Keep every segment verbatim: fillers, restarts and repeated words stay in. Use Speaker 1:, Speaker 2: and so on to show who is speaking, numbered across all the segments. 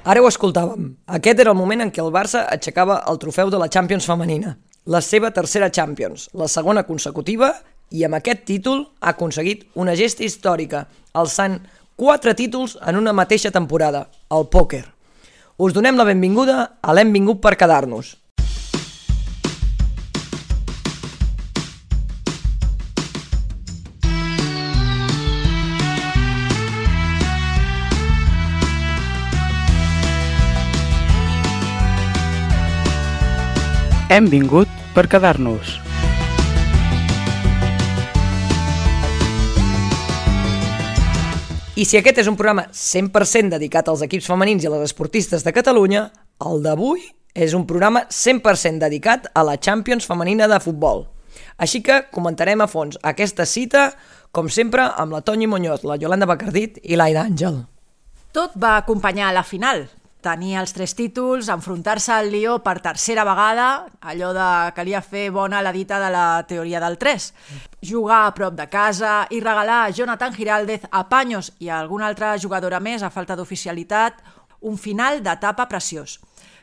Speaker 1: Ara ho escoltàvem. Aquest era el moment en què el Barça aixecava el trofeu de la Champions femenina. La seva tercera Champions, la segona consecutiva, i amb aquest títol ha aconseguit una gesta històrica, alçant quatre títols en una mateixa temporada, el pòquer. Us donem la benvinguda a l'Hem vingut per quedar-nos.
Speaker 2: Hem vingut per quedar-nos.
Speaker 1: I si aquest és un programa cent per cent dedicat als equips femenins i a les esportistes de Catalunya, el d'avui és un programa cent per cent dedicat a la Champions femenina de futbol. Així que comentarem a fons aquesta cita, com sempre, amb la Toñi Muñoz, la Yolanda Bacardit i l'Aida Àngel.
Speaker 3: Tot va acompanyar a la final. Tenir els tres títols, enfrontar-se al Lió per tercera vegada, allò de calia fer bona la dita de la teoria del tres. Jugar a prop de casa i regalar a Jonathan Giraldez, a Paños i a alguna altra jugadora més a falta d'oficialitat un final d'etapa preciós.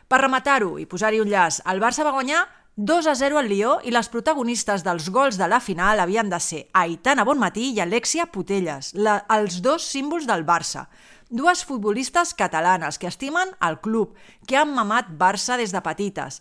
Speaker 3: Per rematar-ho i posar-hi un llaç, el Barça va guanyar dos a zero al Lió i les protagonistes dels gols de la final havien de ser Aitana Bonmatí i Alexia Putellas, la, els dos símbols del Barça. Dues futbolistes catalanes que estimen el club, que han mamat Barça des de petites.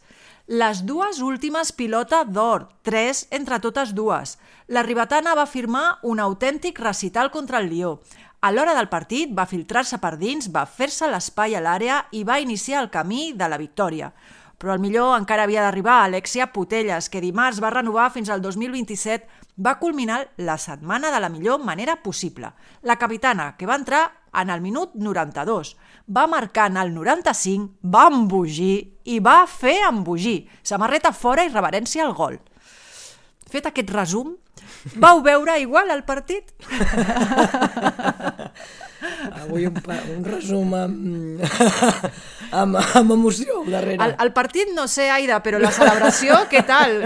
Speaker 3: Les dues últimes pilota d'or, tres entre totes dues. La ribetana va firmar un autèntic recital contra el Lió. A l'hora del partit va filtrar-se per dins, va fer-se l'espai a l'àrea i va iniciar el camí de la victòria. Però el millor encara havia d'arribar a Alexia Putellas, que dimarts va renovar fins al dos mil vint-i-set, va culminar la setmana de la millor manera possible. La capitana, que va entrar en el minut noranta-dos, va marcar en el noranta-cinc, va embogir i va fer embogir. Samarreta fora i reverència al gol. Fet aquest resum, vau veure igual el partit?
Speaker 1: Avui un, un resum amb, amb, amb emoció al darrere.
Speaker 3: El, el partit no sé, Aida, però la celebració, què tal?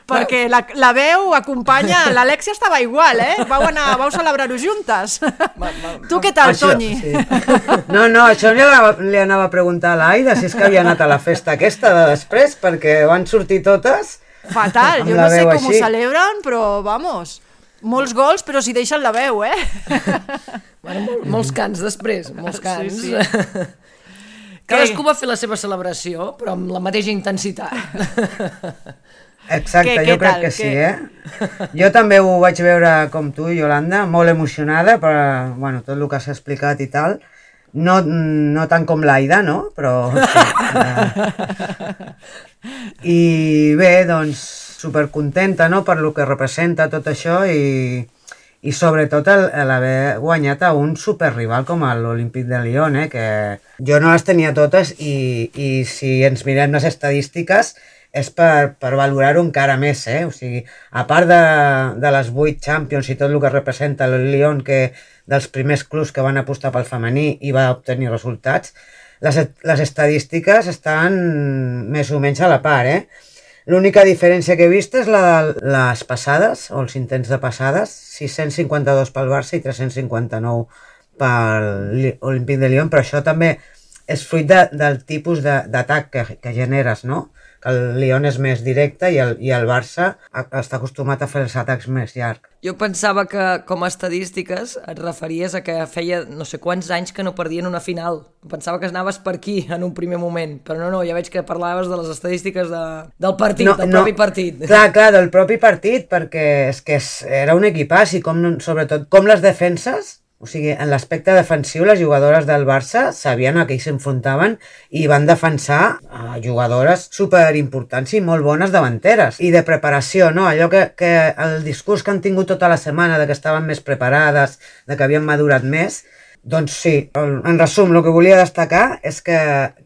Speaker 3: Perquè la, la veu acompanya... L'Alexia estava igual, eh? Vau, anar, vau celebrar-ho juntes. Va, va, tu què tal, això, Toñi? Sí.
Speaker 4: No, no, això li, li anava a preguntar a l'Aida si és que havia anat a la festa aquesta de després, perquè van sortir totes...
Speaker 3: Fatal, jo no sé com així ho celebren, però vamos... Molts gols, però s'hi deixen la veu, eh?
Speaker 1: Bueno, mol, molts cants després, molts cants.
Speaker 3: Sí, sí.
Speaker 1: Cadascú va fer la seva celebració, però amb la mateixa intensitat.
Speaker 4: Exacte,
Speaker 3: què,
Speaker 4: jo
Speaker 3: què
Speaker 4: crec
Speaker 3: tal,
Speaker 4: que sí,
Speaker 3: què?
Speaker 4: eh? Jo també ho vaig veure com tu, Yolanda, molt emocionada per bueno, tot el que s'ha explicat i tal. No, no tant com l'Aida, no? Però sí. I bé, doncs, supercontenta, no?, per lo que representa tot això i, i sobretot l'haver guanyat a un superrival com l'Olímpic de Lyon, eh? Que jo no les tenia totes i, i si ens mirem les estadístiques és per, per valorar-ho encara més, eh? O sigui, a part de, de les vuit Champions i tot el que representa el Lyon, que dels primers clubs que van apostar pel femení i va obtenir resultats, les, les estadístiques estan més o menys a la part, eh? L'única diferència que he vist és la de les passades, o els intents de passades, sis-cents cinquanta-dos pel Barça i tres-cents cinquanta-nou per l'Olímpic de Lyon, però això també és fruit de, del tipus d'atac que, que generes, no? Que el Lyon és més directe i el, i el Barça està acostumat a fer els atacs més llargs.
Speaker 1: Jo pensava que, com a estadístiques, et referies a que feia no sé quants anys que no perdien una final. Pensava que anaves per aquí en un primer moment, però no, no, ja veig que parlaves de les estadístiques de, del partit, no, del no, propi partit.
Speaker 4: Clar, clar, del propi partit, perquè és que és, era un equipàs i com, sobretot com les defenses, o sigui, en l'aspecte defensiu, les jugadores del Barça sabien a què s'enfrontaven i van defensar a jugadores superimportants i molt bones davanteres. I de preparació, no? Allò que, que el discurs que han tingut tota la setmana de que estaven més preparades, de que havien madurat més, doncs sí, en resum, el que volia destacar és que,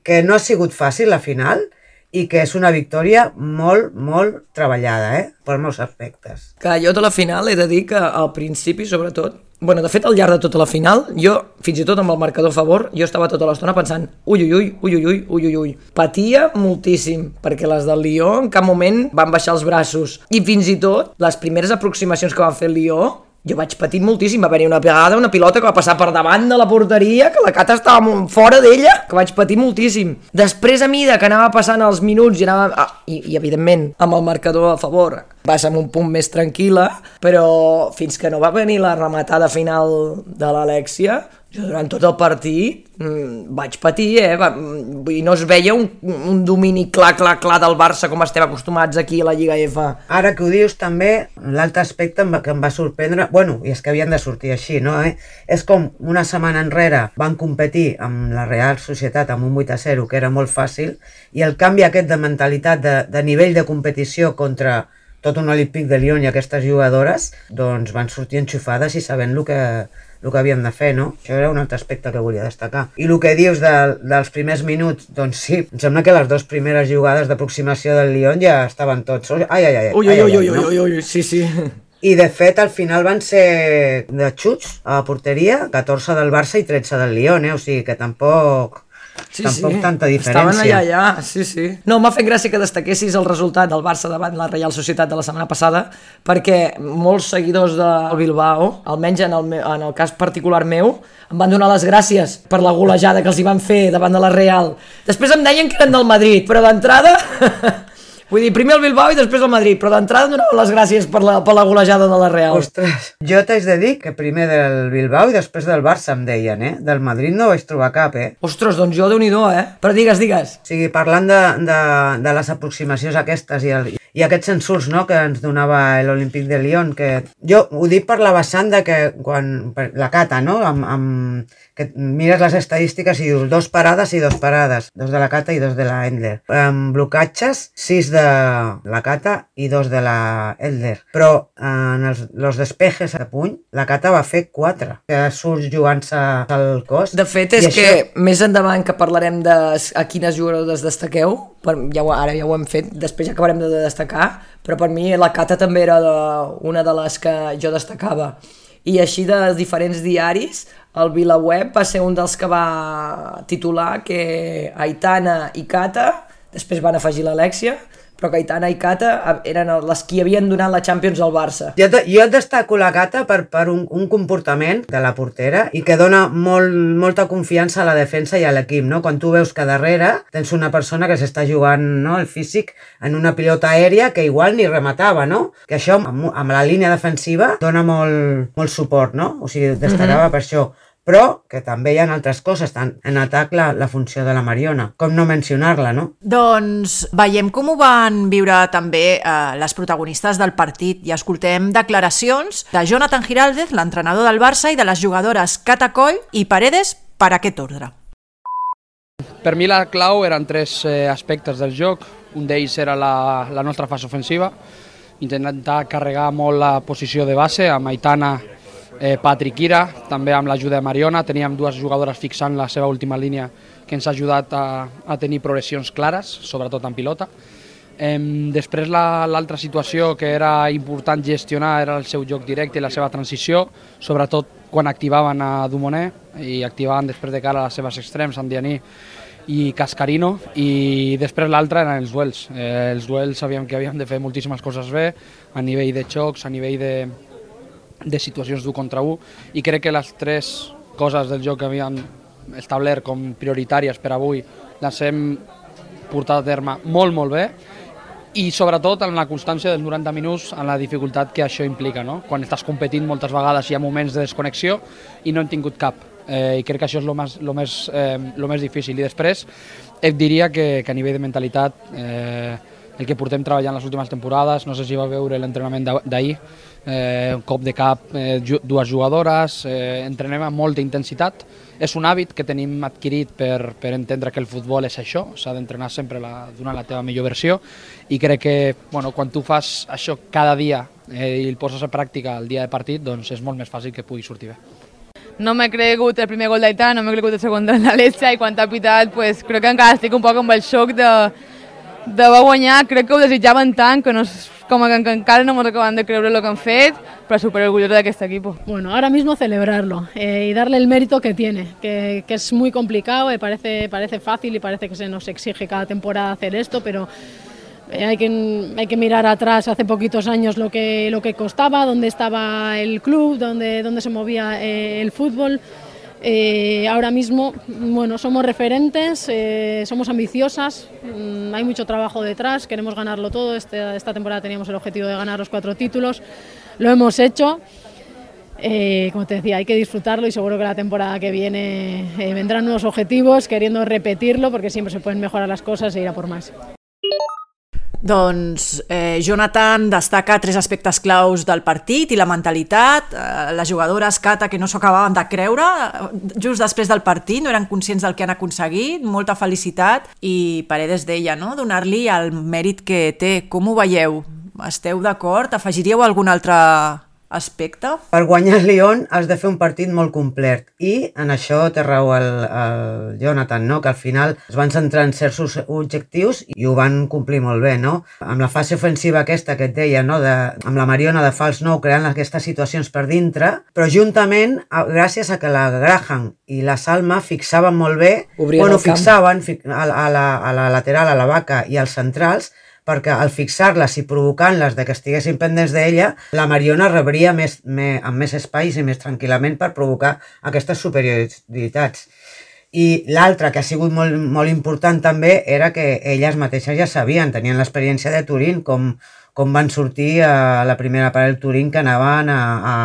Speaker 4: que no ha sigut fàcil la final i que és una victòria molt, molt treballada, eh? Per molts aspectes.
Speaker 1: Clar, jo de la final he de dir que al principi, sobretot, bueno, de fet, al llarg de tota la final, jo, fins i tot amb el marcador a favor, jo estava tota l'estona pensant ui, ui, ui, ui, ui, ui, ui, ui. Patia moltíssim, perquè les del Lió en cap moment van baixar els braços. I fins i tot, les primeres aproximacions que van fer el Lió, Jo vaig patir moltíssim, va haver-hi una vegada una pilota que va passar per davant de la porteria, que la Cata estava fora d'ella, que vaig patir moltíssim. Després, a mida que anava passant els minuts i anava... Ah, i, i evidentment, amb el marcador a favor, va ser amb un punt més tranquil·la, però fins que no va venir la rematada final de l'Alexia, jo durant tot el partit mmm, vaig patir, eh? Va, vull dir, no es veia un, un domini clar, clar, clar del Barça com estem acostumats aquí a la Lliga F.
Speaker 4: Ara que ho dius també, l'altre aspecte que em va sorprendre, bueno, i és que havien de sortir així, no? Eh? És com una setmana enrere van competir amb la Real Societat amb un vuit a zero, que era molt fàcil, i el canvi aquest de mentalitat, de, de nivell de competició contra tot un Olímpic de Lyon i aquestes jugadores, doncs van sortir enxufades i sabent el que, el que havien de fer, no? Això era un altre aspecte que volia destacar. I el que dius de, dels primers minuts, doncs sí, em sembla que les dues primeres jugades d'aproximació del Lyon ja estaven tots... Ai, ai, ai,
Speaker 1: ui,
Speaker 4: ai,
Speaker 1: ui,
Speaker 4: ai,
Speaker 1: ui,
Speaker 4: no?
Speaker 1: ui, ui, sí, sí.
Speaker 4: I de fet al final van ser de xuts a la porteria, catorze del Barça i tretze del Lyon, eh? O sigui que tampoc...
Speaker 1: Sí,
Speaker 4: tampoc
Speaker 1: sí.
Speaker 4: tanta diferència.
Speaker 1: Estaven allà, allà, sí, sí. No, m'ha fet gràcia que destaquessis el resultat del Barça davant la Real Societat de la setmana passada, perquè molts seguidors del Bilbao, almenys en el, meu, en el cas particular meu, em van donar les gràcies per la golejada que els hi van fer davant de la Real. Després em deien que eren del Madrid, però d'entrada... Vull dir, primer el Bilbao i després el Madrid, però d'entrada em donaven les gràcies per la, per la golejada de la Real.
Speaker 4: Ostres, jo t'haig de dir que primer del Bilbao i després del Barça em deien, eh? Del Madrid no vaig trobar cap, eh?
Speaker 1: Ostres, doncs jo Déu-n'hi-do, eh? Però digues, digues.
Speaker 4: O sigui, parlant de, de, de les aproximacions aquestes i, el, i aquests ensurs, no?, que ens donava l'Olímpic de Lyon, que jo ho dic per la vessant de que quan la Cata, no?, amb, amb, que mires les estadístiques i dius dos parades i dos parades, dos de la Cata i dos de la Endler. Amb blocatges, sis de la Cata i dos de la Endler. Però en els, els despejes a puny, la Cata va fer quatre, que surt jugant-se al cos.
Speaker 1: De fet, és
Speaker 4: I
Speaker 1: que
Speaker 4: això...
Speaker 1: més endavant que parlarem de a quines jugadores destaqueu, per, ja ho, ara ja ho hem fet, després ja acabarem de destacar, però per mi la Cata també era de, una de les que jo destacava. I així de diferents diaris, el VilaWeb va ser un dels que va titular que Aitana i Cata, després van afegir l'Alexia, però que Aitana i Cata eren les que havien donat la Champions al Barça.
Speaker 4: Jo, jo destaco la Cata per, per un, un comportament de la portera i que dona molt, molta confiança a la defensa i a l'equip, no? Quan tu veus que darrere tens una persona que s'està jugant, no?, el físic en una pilota aèria que igual ni rematava, no? Que això amb, amb la línia defensiva dona molt, molt suport, no? O sigui, destacava mm-hmm. per això. Però que també hi ha altres coses, tant en atac la, la funció de la Mariona, com no mencionar-la, no?
Speaker 3: Doncs veiem com ho van viure també eh, les protagonistes del partit i escoltem declaracions de Jonathan Giraldez, l'entrenador del Barça, i de les jugadores Cata Coll i Paredes per aquest ordre.
Speaker 2: Per mi la clau eren tres eh, aspectes del joc. Un d'ells era la, la nostra fase ofensiva, intentar carregar molt la posició de base amb Aitana, Eh, Patrick Ira, també amb l'ajuda de Mariona. Teníem dues jugadores fixant la seva última línia que ens ha ajudat a, a tenir progressions clares, sobretot en pilota. Eh, després l'altra la, situació que era important gestionar era el seu joc directe i la seva transició, sobretot quan activaven a Dumonet i activaven després de cara a les seves extrems, Andianí i Cascarino, i després l'altra eren els duels. Eh, els duels sabíem que havíem de fer moltíssimes coses bé, a nivell de xocs, a nivell de de situacions d'un contra un, i crec que les tres coses del joc que havíem establert com prioritàries per avui les hem portat a terme molt, molt bé, i sobretot en la constància dels noranta minuts, en la dificultat que això implica, no? Quan estàs competint moltes vegades hi ha moments de desconnexió i no hem tingut cap, eh, i crec que això és el més, lo més, eh, lo més difícil. I després et diria que, que a nivell de mentalitat eh, el que portem treballant les últimes temporades, no sé si va veure l'entrenament d'ahir, eh, un cop de cap, eh, dues jugadores, eh, entrenem amb molta intensitat. És un hàbit que tenim adquirit per, per entendre que el futbol és això, s'ha d'entrenar sempre la, donant la teva millor versió, i crec que bueno, quan tu fas això cada dia eh, i el poses a pràctica el dia de partit, doncs és molt més fàcil que pugui sortir bé.
Speaker 5: No m'he cregut el primer gol d'Aitana, no m'he cregut el segon de l'Alexia, i quan t'ha pitat, pues, crec que encara estic un poc amb el xoc de de va guanyar. Crec que ho desitjaven tant que, no, como que, que encara no hemos acabado de creer lo que han fet, pero súper orgulloso de este equipo.
Speaker 6: Bueno, ahora mismo celebrarlo eh, y darle el mérito que tiene, que, que es muy complicado, eh, parece, parece fácil y parece que se nos exige cada temporada hacer esto, pero Eh, hay, que, hay que mirar atrás hace poquitos años lo que, lo que costaba, dónde estaba el club, dónde, dónde se movía eh, el fútbol. Eh, ahora mismo, bueno, somos referentes, eh, somos ambiciosas, mmm, hay mucho trabajo detrás, queremos ganarlo todo. Este, esta temporada teníamos el objetivo de ganar los cuatro títulos, lo hemos hecho. Eh, como te decía, hay que disfrutarlo y seguro que la temporada que viene eh, vendrán nuevos objetivos, queriendo repetirlo, porque siempre se pueden mejorar las cosas e ir a por más.
Speaker 3: Doncs eh, Jonathan destaca tres aspectes claus del partit i la mentalitat. Eh, les jugadores, Cata, que no s'ho acabaven de creure just després del partit, no eren conscients del que han aconseguit, molta felicitat, i Paredes deia, no?, donar-li el mèrit que té. Com ho veieu? Esteu d'acord? Afegiríeu algun altre aspecte?
Speaker 4: Per guanyar el Lyon has de fer un partit molt complet i en això té raó el, el Jonathan, no? Que al final es van centrar en certs objectius i ho van complir molt bé, no? Amb la fase ofensiva aquesta que et deia, no? De, amb la Mariona de fals nou creant aquestes situacions per dintre, però juntament, gràcies a que la Graham i la Salma fixaven molt bé,
Speaker 1: Obrien
Speaker 4: bueno,
Speaker 1: el camp.
Speaker 4: fixaven a, a, la, a la lateral, a la Vaca i als centrals, perquè al fixar-les i provocant-les de que estiguessin pendents d'ella, la Mariona rebria més, més, amb més espais i més tranquil·lament per provocar aquestes superioritats. I l'altre, que ha sigut molt, molt important també, era que elles mateixes ja sabien, tenien l'experiència de Turín, com, com van sortir a la primera part del Turín, que anaven a, a,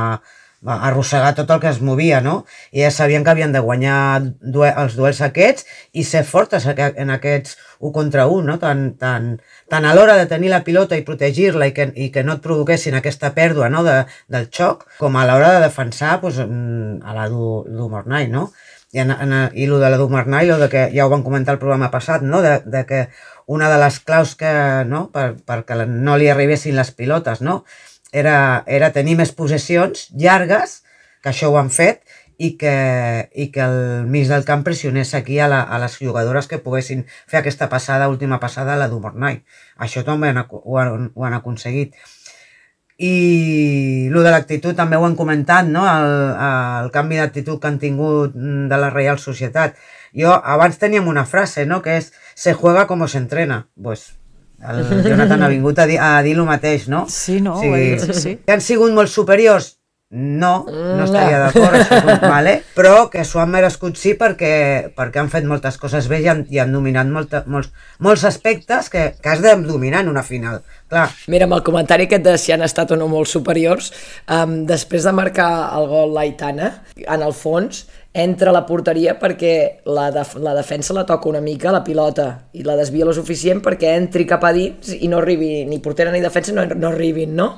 Speaker 4: a arrossegar tot el que es movia, no? I elles sabien que havien de guanyar due els duels aquests i ser fortes en aquests u contra u, no? Tan, tan, tant a l'hora de tenir la pilota i protegir-la i, que, i que no et provoquessin aquesta pèrdua, no? de, del xoc, com a l'hora de defensar pues, a la Dumornay, no? I, en, en, i lo de la Dumornay, lo de que ja ho vam comentar el programa passat, no? de, de que una de les claus que, no? per, perquè no li arribessin les pilotes, no? era, era tenir més possessions llargues, que això ho han fet, i que, i que el mig del camp pressionés aquí a, la, a les jugadores que poguessin fer aquesta passada, última passada a la Dumornay. Això també han, ho, han, ho han aconseguit. I el de l'actitud també ho han comentat, no? el, el canvi d'actitud que han tingut de la Reial Societat. Jo abans teníem una frase, no? Que és se juega como se entrena. Pues, el Jonathan ha vingut a dir, a dir el mateix, no?
Speaker 3: Sí, no?
Speaker 4: O sigui,
Speaker 3: sí, sí.
Speaker 4: que han sigut molt superiors? No, no estaria d'acord, això, vale? Però que s'ho han merescut sí perquè, perquè han fet moltes coses bé i han, i han dominat molta, molts, molts aspectes que, que has de dominar en una final. Clar.
Speaker 1: Mira, amb el comentari aquest de si han estat o no molt superiors, um, després de marcar el gol l'Aitana, en el fons, entra a la porteria perquè la, def la defensa la toca una mica la pilota i la desvia lo suficient perquè entri cap a dins i no arribi ni portera ni defensa, no, no arribin, no?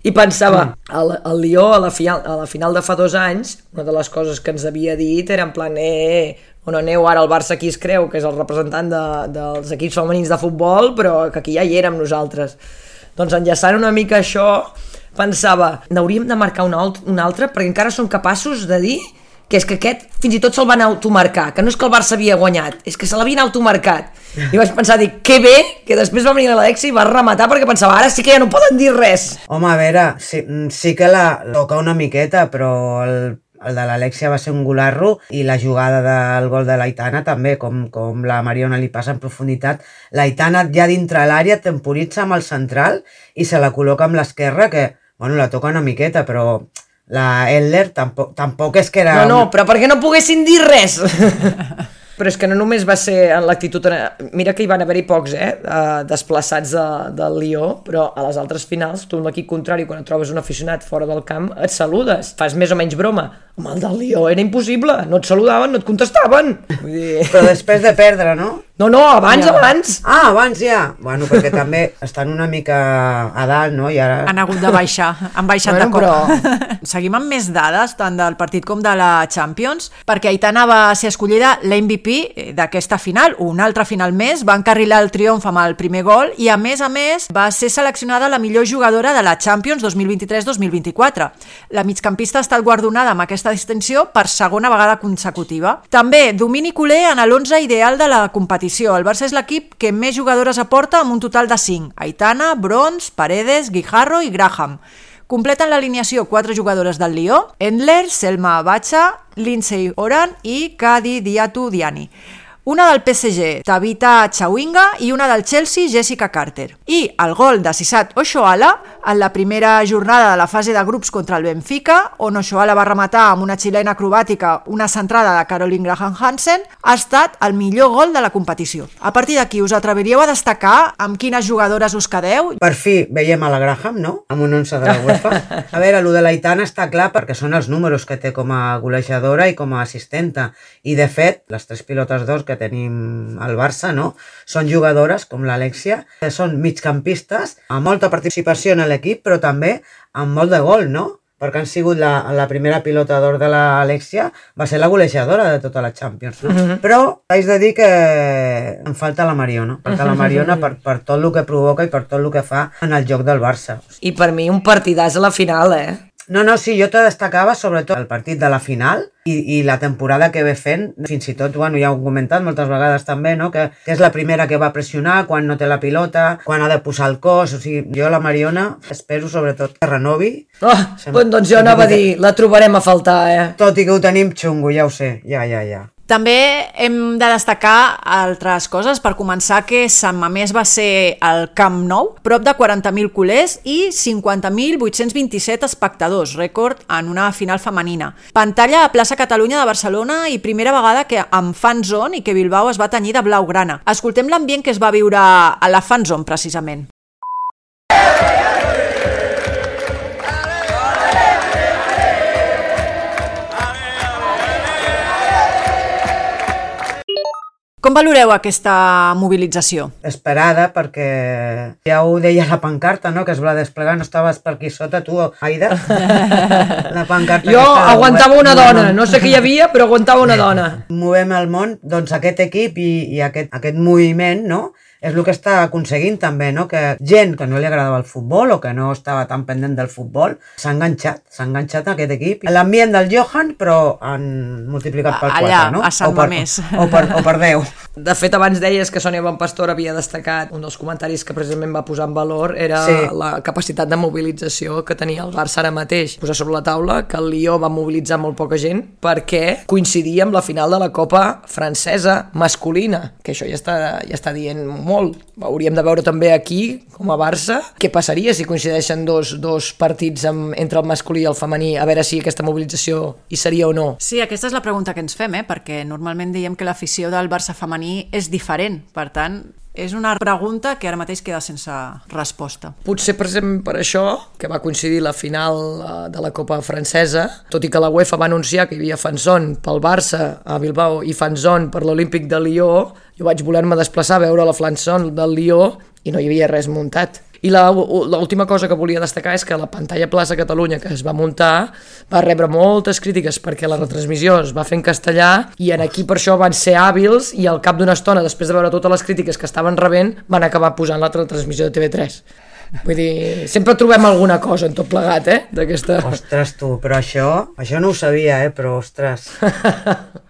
Speaker 1: I pensava, el, el Lió a la, final, a la final de fa dos anys, una de les coses que ens havia dit era en plan, eh, on aneu ara, el Barça aquí es creu que és el representant de, dels equips femenins de futbol, però que aquí ja hi érem nosaltres. Doncs enllaçant una mica això, pensava, n'hauríem de marcar un, alt, un altre perquè encara som capaços de dir que és que aquest fins i tot se'l van automarcar, que no és que el Barça havia guanyat, és que se l'havien automarcat. I vaig pensar, dic, que bé, que després va venir l'Alexia i va rematar perquè pensava, ara sí que ja no poden dir res.
Speaker 4: Home, a veure, sí, sí que la toca una miqueta, però el, el de l'Alexia va ser un golarro i la jugada del gol de l'Aitana també, com, com la Mariona li passa en profunditat. L'Aitana ja dintre l'àrea temporitza amb el central i se la col·loca amb l'esquerra, que, bueno, la toca una miqueta, però la Edler tampoc, tampoc és que era...
Speaker 1: No, no, però perquè no poguessin dir res. Però és que no només va ser en l'actitud... Mira que hi van haver-hi pocs, eh, desplaçats de, del Lió, però a les altres finals, tu amb l'equip contrari, quan et trobes un aficionat fora del camp, et saludes, fas més o menys broma. Home, el del Lió era impossible, no et saludaven, no et contestaven. Vull dir...
Speaker 4: Però després de perdre, no?
Speaker 1: No, no, abans,
Speaker 3: ja.
Speaker 1: abans.
Speaker 4: Ah, abans ja. Bueno, perquè també estan una mica a dalt, no? I ara...
Speaker 3: Han hagut de baixar, han baixat
Speaker 1: bueno,
Speaker 3: de cop.
Speaker 1: però...
Speaker 3: Seguim amb més dades, tant del partit com de la Champions, perquè Aitana va ser escollida l'M V P d'aquesta final, una altra final més, va encarrilar el triomf amb el primer gol i, a més a més, va ser seleccionada la millor jugadora de la Champions dos mil vint-i-tres dos mil vint-i-quatre. La migcampista ha estat guardonada amb aquesta distinció per segona vegada consecutiva. També, domini culer en l'onze ideal de la competició. El Barça és l'equip que més jugadores aporta amb un total de cinc. Aitana, Brons, Paredes, Guijarro i Graham. Completen l'alineació quatre jugadores del Lió, Endler, Selma Bacha, Lindsay Oran i Kadi Diatu Diani. una del P S G, Tabitha Chawinga, i una del Chelsea, Jessica Carter. I el gol de Sisat Oshoala en la primera jornada de la fase de grups contra el Benfica, on Oshoala va rematar amb una xilena acrobàtica una centrada de Caroline Graham Hansen, ha estat el millor gol de la competició. A partir d'aquí, us atreviríeu a destacar amb quines jugadores us quedeu?
Speaker 4: Per fi veiem a la Graham, no? Amb un onze de la UEFA. A veure, el de l'Aitana està clar perquè són els números que té com a golejadora i com a assistenta. I de fet, les tres pilotes d'or que tenim al Barça, no? Són jugadores com l'Alexia, que són migcampistes, amb molta participació en l'equip, però també amb molt de gol, no? Perquè han sigut la, la primera pilota d'or de l'Alexia, va ser la golejadora de tota la Champions, no? Uh-huh. Però haig de dir que em falta la Mariona, falta la Mariona per, per tot el que provoca i per tot el que fa en el joc del Barça.
Speaker 1: I per mi un partidàs a la final, eh?
Speaker 4: No, no, sí, jo te destacava sobretot el partit de la final i, i la temporada que ve fent, fins i tot, bueno, ja ho he comentat moltes vegades també, no? que, que és la primera que va pressionar quan no té la pilota, quan ha de posar el cos, o sigui, jo la Mariona espero sobretot que renovi.
Speaker 1: Oh, Sem- doncs jo anava a dir, la trobarem a faltar, eh?
Speaker 4: Tot i que ho tenim xungo, ja ho sé, ja, ja, ja.
Speaker 3: També hem de destacar altres coses. Per començar, que Sant Mamés va ser al Camp Nou, prop de quaranta mil culers i cinquanta mil vuit-cents vint-i-set espectadors, rècord en una final femenina. Pantalla a plaça Catalunya de Barcelona i primera vegada que amb fanzone i que Bilbao es va tenyir de blaugrana. Escoltem l'ambient que es va viure a la fanzone, precisament. Com valoreu aquesta mobilització?
Speaker 4: Esperada, perquè ja ho deia la pancarta, no? Que es va desplegar, no estaves per aquí sota, tu, Aida? La pancarta
Speaker 1: jo aguantava una dona, no sé què hi havia, però aguantava una dona.
Speaker 4: Movem el món, doncs aquest equip i, i aquest, aquest moviment, no? És el que està aconseguint també, no? Que gent que no li agradava el futbol o que no estava tan pendent del futbol s'ha enganxat, s'ha enganxat a aquest equip. L'ambient del Johan, però han multiplicat per quatre,
Speaker 3: allà,
Speaker 4: no?
Speaker 3: a Sant Mamés.
Speaker 4: O per, o per deu.
Speaker 1: De fet, abans deies que Sònia Bonpastor havia destacat, un dels comentaris que precisament va posar en valor era sí. la capacitat de mobilització que tenia el Barça ara mateix. Posar sobre la taula que el Lió va mobilitzar molt poca gent perquè coincidia amb la final de la Copa francesa masculina, que això ja està, ja està dient molt. Hauríem de veure també aquí, com a Barça, què passaria si coincideixen dos, dos partits amb, entre el masculí i el femení, a veure si aquesta mobilització hi seria o no.
Speaker 3: Sí, aquesta és la pregunta que ens fem, eh? Perquè normalment diem que l'afició del Barça femení és diferent, per tant, és una pregunta que ara mateix queda sense resposta.
Speaker 1: Potser, per exemple, per això, que va coincidir la final de la Copa francesa, tot i que la UEFA va anunciar que hi havia fanzone pel Barça a Bilbao i fanzone per l'Olímpic de Lió, jo vaig voler-me desplaçar a veure la fanzone del Lió i no hi havia res muntat. I l'última cosa que volia destacar és que la pantalla Plaça Catalunya que es va muntar va rebre moltes crítiques perquè la retransmissió es va fer en castellà i en aquí per això van ser hàbils i al cap d'una estona, després de veure totes les crítiques que estaven rebent, van acabar posant la retransmissió de T V tres. Vull dir, sempre trobem alguna cosa en tot plegat, eh? D'aquesta...
Speaker 4: Ostres, tu, però això, això no ho sabia, eh? Però, ostres...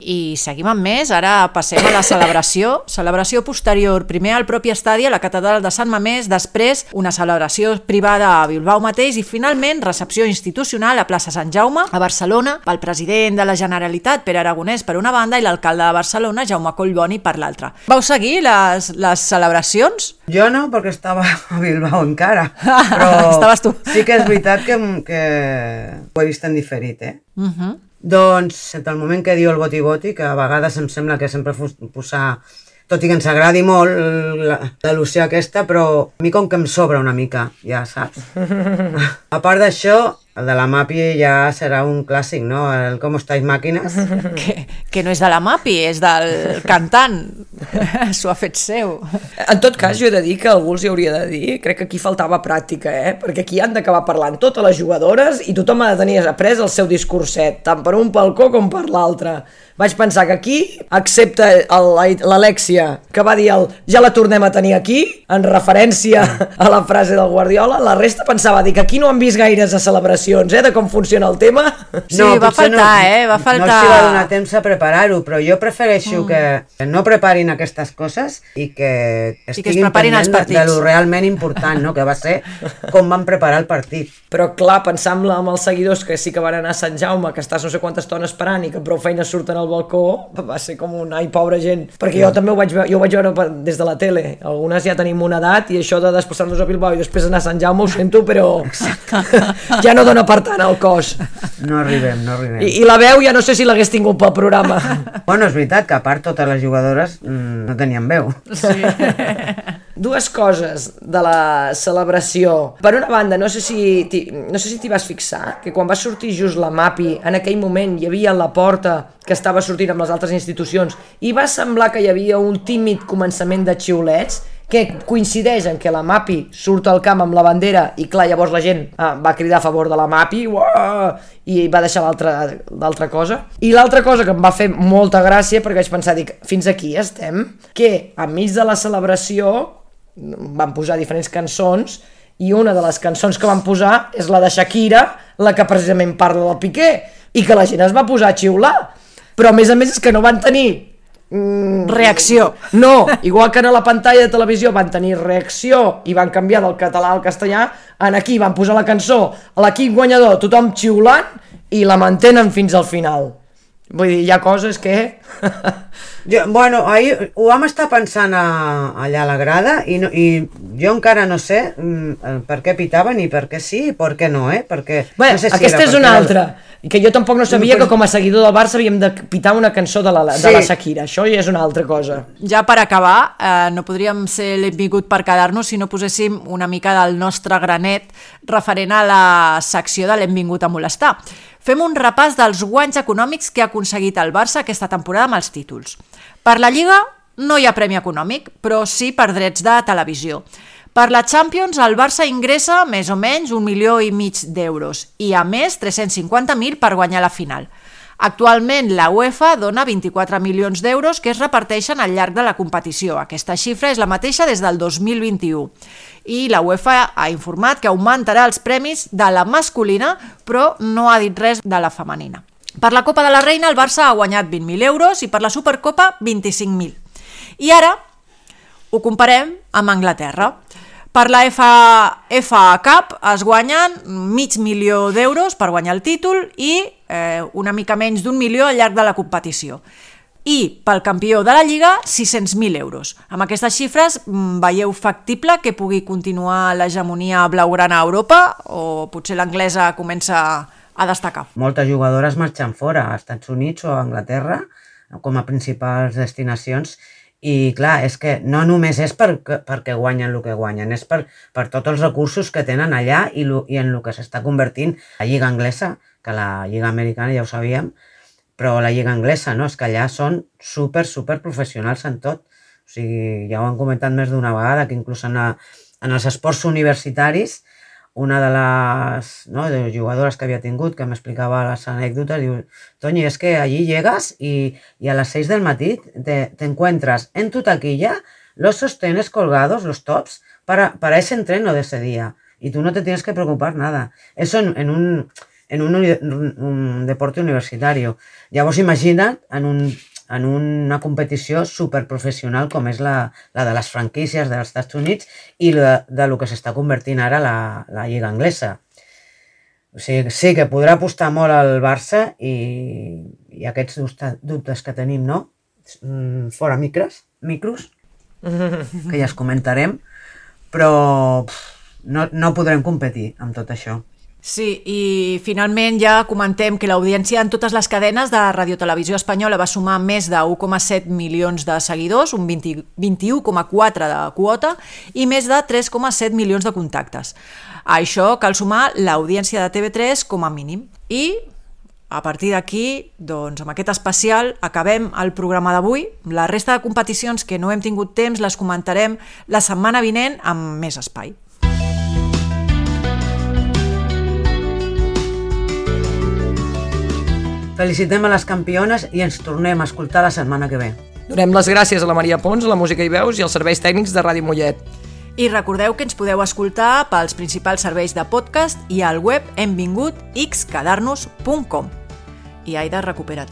Speaker 3: I seguim amb més, ara passem a la celebració. Celebració posterior, primer al propi estadi, a la catedral de Sant Mamés, després una celebració privada a Bilbao mateix i finalment recepció institucional a plaça Sant Jaume, a Barcelona, pel president de la Generalitat, Pere Aragonès, per una banda, i l'alcalde de Barcelona, Jaume Collboni, per l'altra. Vau seguir les, les celebracions?
Speaker 4: Jo no, perquè estava a Bilbao encara, però
Speaker 3: Estaves tu.
Speaker 4: Sí que és veritat que, que ho he vist en diferit, eh?
Speaker 3: Uh-huh.
Speaker 4: Doncs, entre el moment que diu el boti-boti, que a vegades em sembla que sempre posar, tot i que ens agradi molt l'al·lusió aquesta, però a mi com que em sobra una mica, ja saps. A part d'això, el de la Mapi ja serà un clàssic, no? El Com estáis màquines.
Speaker 3: Que, que no és de la Mapi, és del cantant. S'ho ha fet seu.
Speaker 1: En tot cas, jo he de dir que algú els hi hauria de dir, crec que aquí faltava pràctica, eh? Perquè aquí han d'acabar parlant totes les jugadores i tothom ha de tenir après el seu discurset, tant per un balcó com per l'altre. Vaig pensar que aquí, excepte l'Alexia, que va dir el ja la tornem a tenir aquí, en referència a la frase del Guardiola, la resta pensava dir que aquí no han vist gaires a celebració explicacions, eh, de com funciona el tema.
Speaker 3: Sí, no, va faltar, no, eh? Va faltar...
Speaker 4: No els va donar temps a preparar-ho, però jo prefereixo mm. que no preparin aquestes coses i que estiguin pendents de, de lo realment important, no? Que va ser com van preparar el partit.
Speaker 1: Però clar, pensant amb els seguidors que sí que van anar a Sant Jaume, que estàs no sé quanta estona esperant i que prou feines surten al balcó, va ser com un ai, pobra gent. Perquè jo també ho vaig veure, jo ho vaig veure des de la tele. Algunes ja tenim una edat i això de desplaçar-nos a Bilbao i després anar a Sant Jaume ho sento, però ja no dona per tant el cos.
Speaker 4: No arribem, no arribem.
Speaker 1: I, i la veu ja no sé si l'hagués tingut pel programa.
Speaker 4: Bueno, és veritat que a part totes les jugadores mmm, no tenien veu.
Speaker 3: Sí.
Speaker 1: Dues coses de la celebració. Per una banda, no sé si t'hi, no sé si t'hi vas fixar, que quan va sortir just la MAPI, en aquell moment hi havia la porta que estava sortint amb les altres institucions i va semblar que hi havia un tímid començament de xiulets que coincideix en que la MAPI surt al camp amb la bandera i clar, llavors la gent ah, va cridar a favor de la MAPI uah, i va deixar l'altra cosa. I l'altra cosa que em va fer molta gràcia, perquè vaig pensar, dic, fins aquí estem, que enmig de la celebració van posar diferents cançons i una de les cançons que van posar és la de Shakira, la que precisament parla del Piqué, i que la gent es va posar a xiular. Però a més a més és que no van tenir
Speaker 3: mm, reacció.
Speaker 1: No, igual que a la pantalla de televisió van tenir reacció i van canviar del català al castellà, en aquí van posar la cançó a l'equip guanyador, tothom xiulant i la mantenen fins al final. Vull dir, hi ha coses que...
Speaker 4: jo, bueno, ahir ho vam estar pensant a, allà a la grada i, no, i jo encara no sé mm, per què pitaven i per què sí i per què no, eh? Perquè,
Speaker 1: bé,
Speaker 4: no sé si
Speaker 1: aquesta és una altra, que jo tampoc no sabia que com a seguidor del Barça havíem de pitar una cançó de la, de sí. la Shakira, això ja és una altra cosa.
Speaker 3: Ja per acabar, eh, no podríem ser l'envingut per quedar-nos si no poséssim una mica del nostre granet referent a la secció de l'envingut a molestar. Fem un repàs dels guanys econòmics que ha aconseguit el Barça aquesta temporada amb els títols. Per la Lliga no hi ha premi econòmic, però sí per drets de televisió. Per la Champions el Barça ingressa més o menys un milió i mig d'euros i a més tres-cents cinquanta mil per guanyar la final. Actualment la UEFA dona vint-i-quatre milions d'euros que es reparteixen al llarg de la competició. Aquesta xifra és la mateixa des del dos mil vint-i-u. I la UEFA ha informat que augmentarà els premis de la masculina, però no ha dit res de la femenina. Per la Copa de la Reina el Barça ha guanyat vint mil euros i per la Supercopa vint-i-cinc mil. I ara ho comparem amb Anglaterra. Per la F A Cup es guanyen mig milió d'euros per guanyar el títol i eh, una mica menys d'un milió al llarg de la competició. I pel campió de la Lliga sis-cents mil euros. Amb aquestes xifres veieu factible que pugui continuar l'hegemonia blaugrana a Europa o potser l'anglesa comença a destacar?
Speaker 4: Moltes jugadores marxen fora, a Estats Units o a Anglaterra, com a principals destinacions. I clar, és que no només és per, perquè guanyen el que guanyen, és per, per tots els recursos que tenen allà i, lo, i en el que s'està convertint la Lliga Anglesa, que la Lliga Americana ja ho sabíem, però la Lliga Anglesa, no? És que allà són super, super professionals en tot. O sigui, ja ho han comentat més d'una vegada, que inclús en, la, en els esports universitaris, una de les no, de jugadores que havia tingut, que m'explicava les anècdotes, diu, Toñi, es que allí llegas y, y a las seis del matí te, te encuentras en tu taquilla los sostenes colgados, los tops, para, para ese entreno de ese día. Y tú no te tienes que preocupar nada. Eso en, en, un, en un, un, un deporte universitario. Llavors imagina't en, un, en una competició superprofessional com és la, la de les franquícies dels Estats Units i de, de lo que s'està convertint ara la, la Lliga Anglesa. O sigui, sí que podrà apostar molt al Barça i, i aquests dubtes que tenim, no? Fora micros, micros, que ja es comentarem, però pff, no, no podrem competir amb tot això.
Speaker 3: Sí, i finalment ja comentem que l'audiència en totes les cadenes de Radiotelevisió Espanyola va sumar més de u coma set milions de seguidors, un vint-i-u coma quatre de quota i més de tres coma set milions de contactes. A això cal sumar l'audiència de T V tres com a mínim. I a partir d'aquí, doncs, amb aquest especial acabem el programa d'avui. La resta de competicions que no hem tingut temps les comentarem la setmana vinent amb més espai.
Speaker 4: Felicitem a les campiones i ens tornem a escoltar la setmana que ve.
Speaker 1: Donem les gràcies a la Maria Pons, a la música i veus i als serveis tècnics de Ràdio Mollet.
Speaker 3: I recordeu que ens podeu escoltar pels principals serveis de podcast i al web hemvingut x quedar nos punt com. I Aida, recupera't.